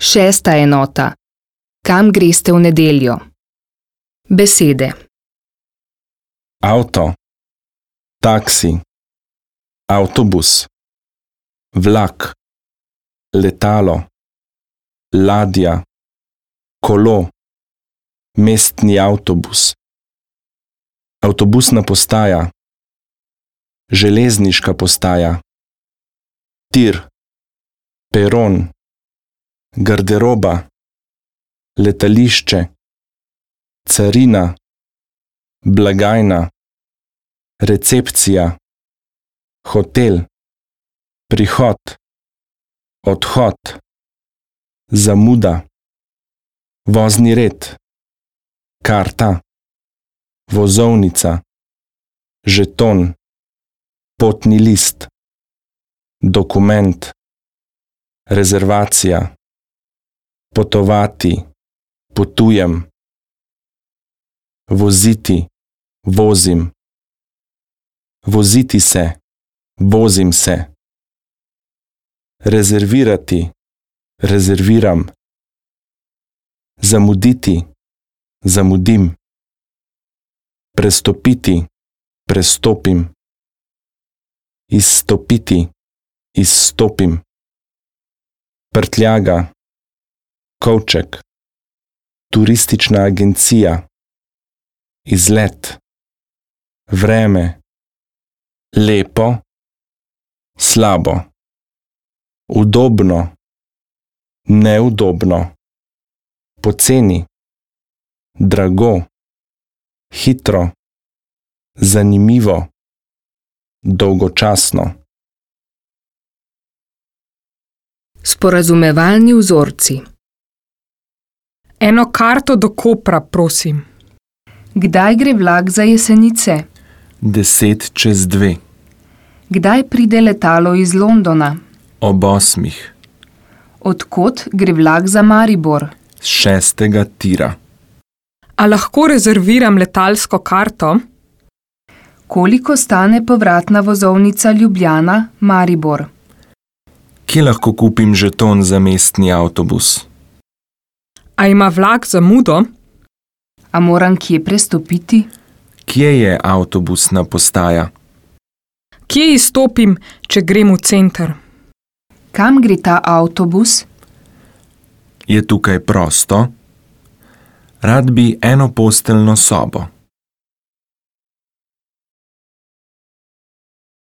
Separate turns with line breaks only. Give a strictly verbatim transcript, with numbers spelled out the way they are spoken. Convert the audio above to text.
Šesta enota. Kam greste v nedeljo? Besede.
Avto, taksi, avtobus, vlak, letalo, ladja, kolo, mestni avtobus, avtobusna postaja, železniška postaja, tir, peron, garderoba, letališče, carina, blagajna, recepcija, hotel, prihod, odhod, zamuda, vozni red, karta, vozovnica, žeton, potni list, dokument, rezervacija, potovati, potujem, voziti, vozim, voziti se, vozim se, rezervirati, rezerviram, zamuditi, zamudim, prestopiti, prestopim, izstopiti, izstopim, prtljaga, kovček, turistična agencija, izlet, vreme, lepo, slabo, udobno, neudobno, poceni, drago, hitro, zanimivo, dolgočasno.
Sporazumevalni vzorci.
Eno karto do Kopra, prosim.
Kdaj gre vlak za Jesenice?
Deset čez dve.
Kdaj pride letalo iz Londona?
Ob osmih.
Od kod gre vlak za Maribor?
Z šestega tira.
A lahko rezerviram letalsko karto?
Koliko stane povratna vozovnica Ljubljana-Maribor?
Kje lahko kupim žeton za mestni avtobus?
A ima vlak zamudo?
A moram kje prestopiti?
Kje je avtobusna postaja?
Kje izstopim, če grem v center?
Kam gre ta avtobus?
Je tukaj prosto? Rad bi enoposteljno sobo.